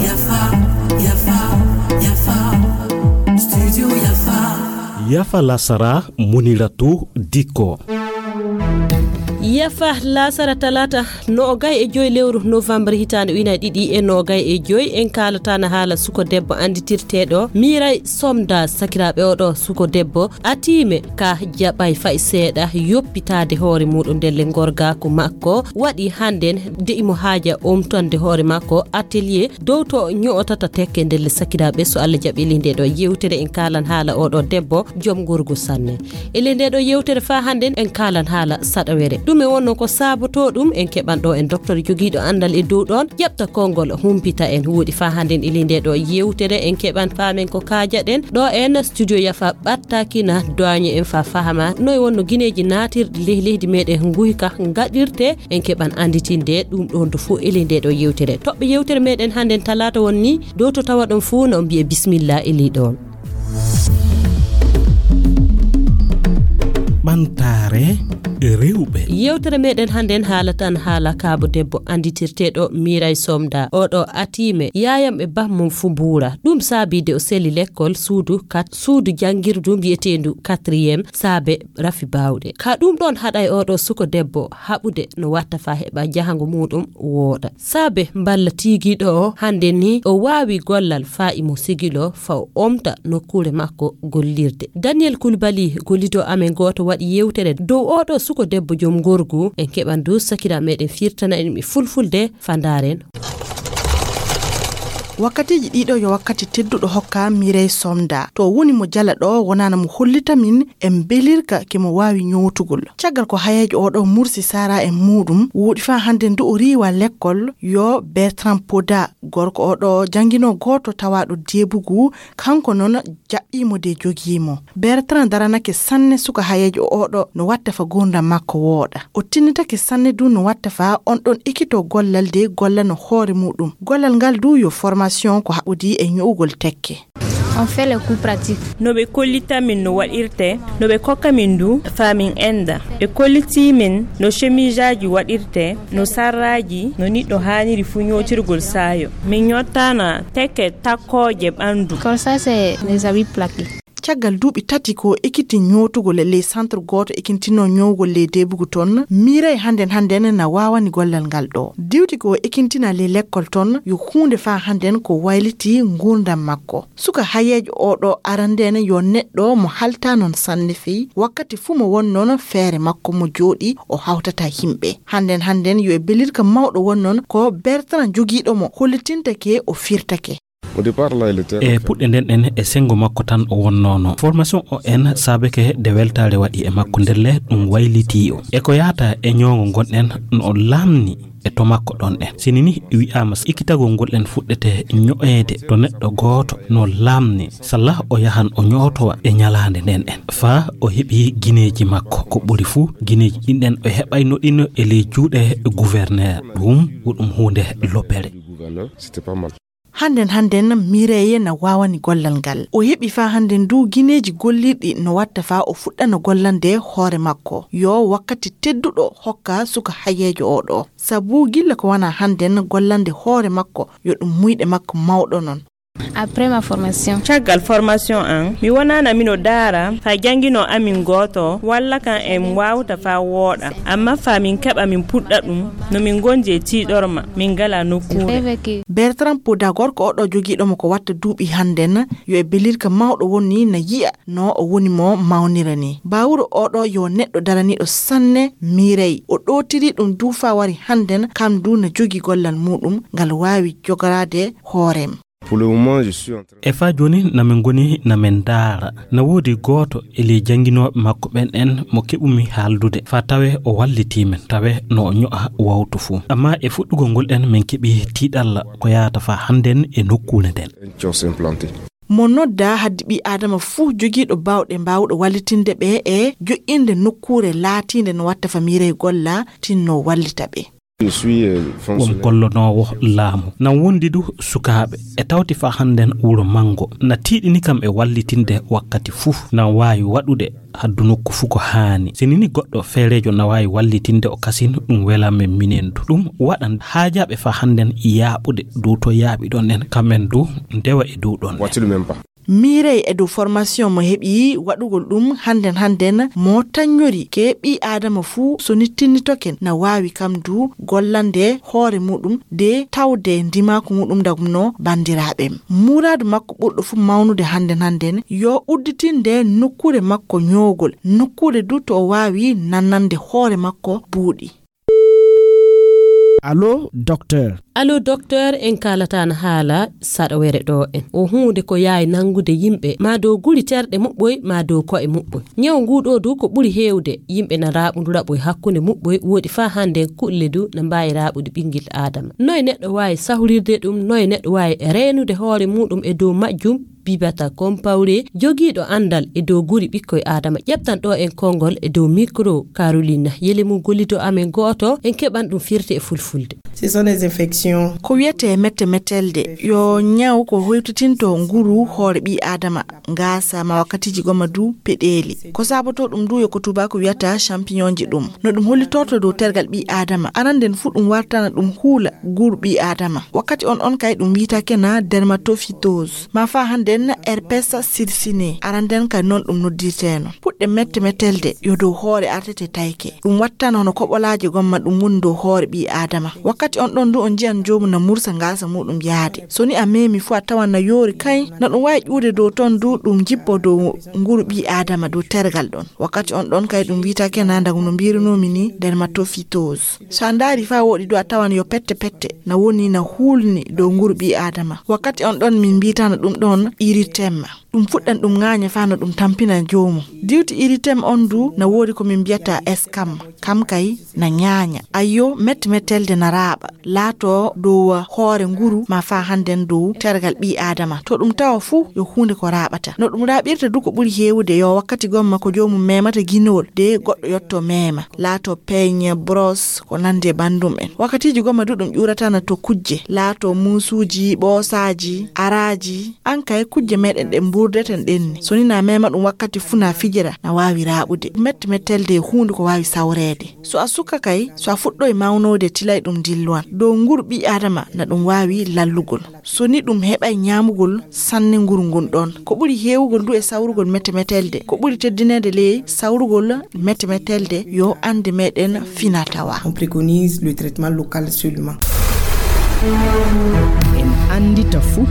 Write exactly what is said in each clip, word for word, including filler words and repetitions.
Yafa, yafa, yafa. Studio Yafa. Yafa lasara, Muniratu Dikko. Yafa lasara talaata noogay e joy lewru novembre hitaande ujunaaji ɗiɗi e noogay e joy, en kaalataana haala suko debbo annditirteeɗo Miray Somda. Sakiraaɓe, oɗo suko debbo atiime ka jaɓay fay seeɗa yoppitaade hoore muuɗum ndelle ngorgaaku makko. Waɗi hannden de imo haaja omtande hoore makko atelier dow to ño'otata tekke ndelle. Sakiraaɓe, so Allah jaɓi, e ley ndee ɗo yewtere en kaalan haala oɗo debbo joom ngorgu sanne. E ley ndee ɗo yewtere faa hannden en kaalan haala saɗawere. Ɗum e wonno ko saabotoo ɗum, en keɓan ɗo en docteur jogiiɗo anndal e dow ɗoon, ƴeɓta konngol humpita en. Wooɗi, faa hannden e ley ndee ɗo yewtere en keɓan faamen ko kaajaɗen. Ɗo en studio Yafa ɓattaaki na doaño en faa fahama noy wonno gineeji naatirɗi ley leydi meɗen nguyka ngaɗirte. En keɓan annditinde ɗum ɗoon to fof e ley ndee ɗo yewtere. Toɓɓe yewtere meɗen hannden talaata won ni dow to tawa ɗon fof na on mbiye bismillah e ley ɗoon. Ɓamtaare rewɓe. Yewtere meɗen hannden haalatan haala kaabo debbo annditirteeɗo Miray Somda. Oɗo atiime yaayam e bammum fu mbuura. Ɗum saabi de o seli lekkol suudu kat-, suudu janngirdu mbiyeteendu quatrième saabe rafi baawɗe. Ka ɗum ɗoon haɗay oɗo suko debbo haɓude no watta faa heɓa jahango muuɗum wooɗa. Saabe mballa tiigiiɗo o hannde ni o waawi gollal faa imo sigilo faa o omta nokkuure makko gollirde. Daniel Koulibaly, gollido amen gooto, waɗi yewtere dow oɗo suko debbo joom ngorgu. En keɓan du sakira meɗen firtana en mi fulfulde faa ndaaren. Wakkatiiji ɗiɗo yo wakkati tedduɗo hokka Mireille Somda. To woni mo jala ɗo wonana mo hollita min e mbelirka ke mo waawi ñootugol. Caggal ko hayeejo oɗo mursi sara e muuɗum, wuuɗi faa hannde ndu o riiwa lekkol, yo Bertrand Poda, gorko oɗo janngino gooto tawaaɗo Debugu, kanko noon jaɓɓii mo de jogii mo. Bertrand daranake sanne suka hayeejo oɗo no watta fa gurdam makko wooɗa. O tinnitake sanne du no watta fa on ɗon ekito gollal de gollano hoore muuɗum. Gollal ngal du yo formation ko haɓodi e ño'ugol tekke. On fait les coups pratiques. No ɓe kollita min no waɗirte, no ɓe kokka min du faa min ennda. Ɓe kollitii min no chemisaaji waɗirte, no sarraaji, no niɗɗo haaniri fuu ñootirgol saayo. Min ñottana tekke takkooje ɓanndu. Comme ça, c'est les habits plaqués. Caggal duuɓi tati ko ekiti ñootugol e ley centre gooto ekintinoo ñoowgol ley Debugu toon, Mireille hannden hannden na waawani gollal ngal ɗo. Diwti ko ekintina ley lekkol toon, yo huunde faa hannden ko wayliti nguurndam makko. Suka hayeejo oɗo arande ne yo neɗɗo mo halta noon sanne fey, wakkati fuu mo won noon feere makko mo jooɗi o hawtata yimɓe. Hannden hannden yo e belirka mawɗo won noon ko Bertrand jogiiɗo mo hollitintake o firtake. Au départ, là, il était E puɗɗe nden ɗen e senngo makko tan o wonnoono. Formation o en saabeke de weltaare waɗi e makko ndelle ɗum waylitii o. E ko yaata e ñoongo ngonɗen no o laamni e to makko ɗon ɗen. Sini ni wi'aama ikkitagol ngol ɗen fuɗɗete ño'eede to neɗɗo gooto no laamni. Salla o yahan o ñootowa e ñalaande nden ɗen. Faa o heɓi gineeji makko. Ko ɓuri fuu gineeji ɗin ɗen o heɓayno ɗin e ley juuɗe gouverneur. Ɗum ko ɗum huunde lobbere. C'était pas mal. Hannden hannden Mireille na waawani gollal ngal. O heɓi faa hannden du gineeji gollirɗi no watta faa o fuɗɗana gollande hoore makko. Yo wakkati tedduɗo hokka suka hayeejo oɗo. Sabu gilla ko wana hannden gollande hoore makko yo ɗum muyɗe makko mawɗo non. Après ma formation. Caggal formation an, mi wonana mino daara faa janngino amin gooto walla kan en waawta faa wooɗa. Amma faa min keɓa min puɗɗa ɗum, no min ngondi e tiiɗorma, min ngala nokkuure. Bertrand Poda, gorko oɗo jogiiɗo mo ko watta duuɓi hannden, yo e belirka mawɗo woni na yi'a no o woni mo mawnira ni. Baawuro oɗo yo neɗɗo daraniiɗo sanne Mireille. O ɗootiri ɗum du faa wari hannden, kam du na jogii gollal muuɗum ngal waawi jogoraade hoorem. Pour le moment, je suis en train E faa jooni na min ngoni na min ndaara. Na woodi gooto e ley jannginooɓe makko ɓen en mo keɓumi haaldude faa tawe o wallitii min, tawe no o ño'a wawtu fuu. Amma e fuɗɗugol ngol ɗen min keɓi tiiɗalla ko yaata faa hannden e nokkuure nden. Un kiosque implanté. Mo nodda haddi ɓii Aadama fuu jogiiɗo baawɗe mbaawɗo wallitinde ɓe e joƴƴinde nokkuure laatiinde no watta faa Mireille golla tinno wallita ɓe. Won gollonoowo laamu. Nan wondi du sukaaɓe. E tawti faa hannden wuro manngo. Na tiiɗini kam e wallitinde wakkati fuu. Nan waawi waɗude haddu nokku fuu ko haani. Si nini goɗɗo feereejo na waawi wallitinde o kasin, ɗum welan men minen du. Ɗum waɗan haajaaɓe faa hannden yaaɓude dow to yaaɓiɗon en. Kam en du ndewa e dow ɗon. Miirey e dow formation mo heɓi waɗugol ɗum hannden hannden mo taññori ke ɓii Aadama fuu so nittinnitoken na waawi kam du gollande hoore muuɗum de tawde ndimaaku muuɗum dagumno banndiraaɓe. Muuraadu makko ɓurɗo fuu mawnude hannden hannden yo udditinde nokkuure makko ñoogol, nokkuure du to o waawi nannande hoore makko buuɗi. Allo, docteur. Allo, docteur, en kaalataano haala saɗawere ɗo en. O huunde ko yaawi nanngude yimɓe, maa dow guri terɗe muɓɓoy, maa dow ko'e muɓɓoy. Ñaw nguu ɗoo du ko ɓuri heewde, yimɓe na raaɓundu raɓoy hakkunde muɓɓoy, woɗi faa hannden kulle du na mbaawi raaɓude ɓinngel Aadama. Noye neɗɗo waawi sahrirde ɗum, noye neɗɗo waawi reenude hoore muuɗum e dow majjum? Bibata Kompawre, jogiiɗo anndal e dow guri ɓikkoy Aadama, ƴeftan ɗo en konngol e dow mikro Caroline Yelemu, gollido amen gooto, en keɓan ɗum firti e fulfulde. Ce sont des infections. Ko wiyetee mette mettelde, yo ñaw ko hoytitinto nguru hoore ɓii Aadama, ngaasa ma wakkatiiji gomma du peɗeeli. Ko saabotoo ɗum du yo ko tuubaaku wiyata champignon ji ɗum. No ɗum hollitorto dow tergal ɓii Aadama, aranden fuu ɗum wartana ɗum huula nguru ɓii Aadama. Wakkati on ɗon kay ɗum wiyetee kena dermatophytose. Ma faa hannden herpes circiné, aranden kay non ɗum noddirteeno. Puɗɗe mette mettelde yo dow hoore artete tayke. Ɗum wattana hono koɓolaaje gomma ɗum woni dow hoore ɓii Aadama. Wakkati on ɗon du on njiyan joomu na mursa ngaasa muuɗum yaade. So ni a meemi fuu a tawan na yoori kay, na ɗum waawi ƴuude dow ton du ɗum jippo dow nguru ɓii Aadama dow tergal ɗon. Wakkati on ɗon kay ɗum wiyetee kena ndagu no mbiirunoomi ni dermatophytose. So a ndaari faa wooɗi du a tawan yo pette pette na woni na huulni dow nguru ɓii Aadama. Wakkati on ɗon min mbiyeteno ɗum ɗon erythème. Ɗum fuɗɗan ɗum ŋaaña faa no ɗum tampina joomum. Diwti erythème on du na woodi ko min mbiyata escame. Kam kay na ŋaaña. Ayyo, mette mettelde na raaɓa. Laato dow hoore nguru ma faa hannden dow tergal ɓii Aadama. To ɗum tawa fuu yo huunde ko raaɓata. No ɗum raaɓirta du ko ɓuri heewude yo wakkati gomma ko joomum meemata ginowol de goɗɗo yotto meema. Laato peeñe, brosse, ko nanndi e banndum en. Wakkatiiji gomma du ɗum ƴuuratana to kujje. Laato muusuuji, ɓoosaaji, araaji. An kay kujje meɗen ɗen mbuurdeten ɗen ni. So ni na meema ɗum wakkati fuu na fijira, na waawi raaɓude. Mette mettelde e huunde ko waawi sawreede. So a suka kay, so a fuɗɗoy mawnoyde tilay ɗum dilluwan. Dow nguru ɓii Aadama na ɗum waawi lallugol. So ni ɗum heɓay ñaamugol sanne nguru ngun ɗon. Ko ɓuri heewugol du e sawrugol mette mettelde. Ko ɓuri teddineede ley sawrugol mette mettelde yo annde meɗen fina tawa. On préconise le traitement local seulement. En anndita fuu.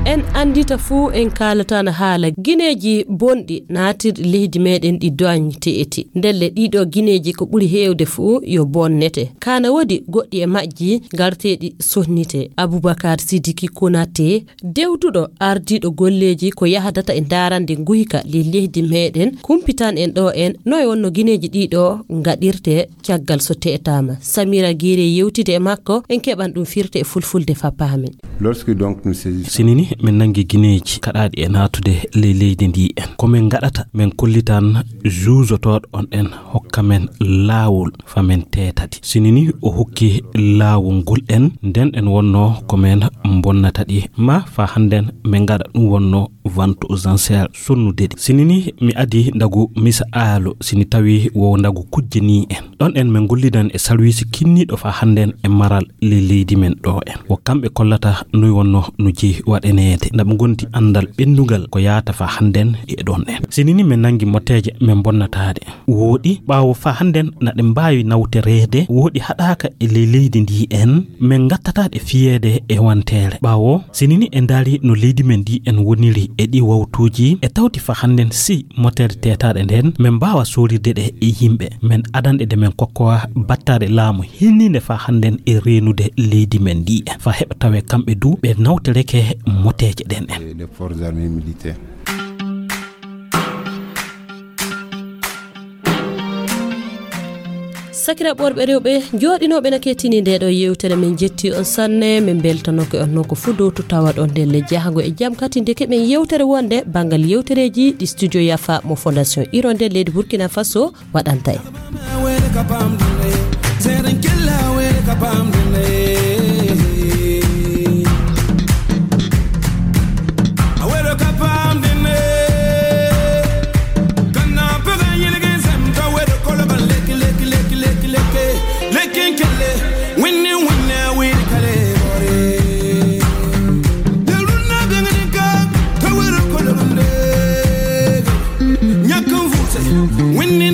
En anndita fuu, en kaalataano haala gineeji bonɗi naatirɗi leydi meɗen ɗi doñte eti. Ndelle ɗiɗo gineeji ko ɓuri heewde fuu yo bonnete. Kana woodi goɗɗi e majji garteeɗi sonnite. Abubakar Sidiki Konate, dewduɗo ardiiɗo golleeji ko yahdata e ndaarande nguyka ley leydi meɗen, kumpitan en ɗo en noy wonno gineeji ɗiɗo ngaɗirte caggal so teetaama. Samira Gire yewtide e makko, en keɓan ɗum firte e fulfulde fa paamen. Lorsque donc nous saisissons. Sinini min nangi gineeji kaɗaaɗi e naatude ley leydi ndi en. Ko min ngaɗata, min kollitan juuzotooɗo on en hokka men laawol fa min teetadi. Sinini o hokki laawol ngol en, nden en wonno ko min bonnata ɗi. Ma fa hannden min ngaɗa ɗum wonno vente aux enchères sonnude ɗi. Sinini mi adi ndagu misa aalo, sini tawi wo ndagu kujje ni en. Ɗon en min gollidan e sarwiisi kinniiɗo fa hannden e maral ley leydi men ɗo en. Wo kamɓe kollata noy wonno no jeyi waɗaneede. Nda ɓe gondi anndal ɓenndugal ko yaata fa hannden e ɗon en. Sinini min nangi moteeje min bonnataade. Wooɗi, ɓaawo fa hannden na ɗe mbaawi nawtoreede, wooɗi haɗaaka e ley leydi ndi en, min ngattataa ɗe fiyeede e wanteere. Ɓaawo, sinini en ndaari no leydi men ndi en woniri e ɗi wawtuuji, e tawti fa hannden si moteere teetaaɗe nden, min mbaawa soorirde ɗe e yimɓe. Min adanɗe de min kokkowa battaade laamu hinniinde fa hannden e reenude leydi men ndi en. Fa heɓa tawe kamɓe du ɓe nawtoreke moteeje ɗen en. Les forces armées militaires. Sakiraaɓe worɓe rewɓe, jooɗinooɓe na kettini nde ɗo yewtere, min jetti on sanne, min mbeltanoke on noon ko fuu dow to tawaɗon ndelle jahango e jam. Kadi ndeke min yewtere wonde banngal yewtereeji ɗi Studio Yafa mo Fondation Hirondelle leydi Burkina Faso waɗanta en. Pamdene. Awero ka pamdene. Kana pega yelege sem ka wero kolo ka leki, leki, leki, leki, leki. Leki kele. Winni, winni, winni kale bore. Deluna bengani ka, ka wero kolo ka leki. Nyakun fuse. Winni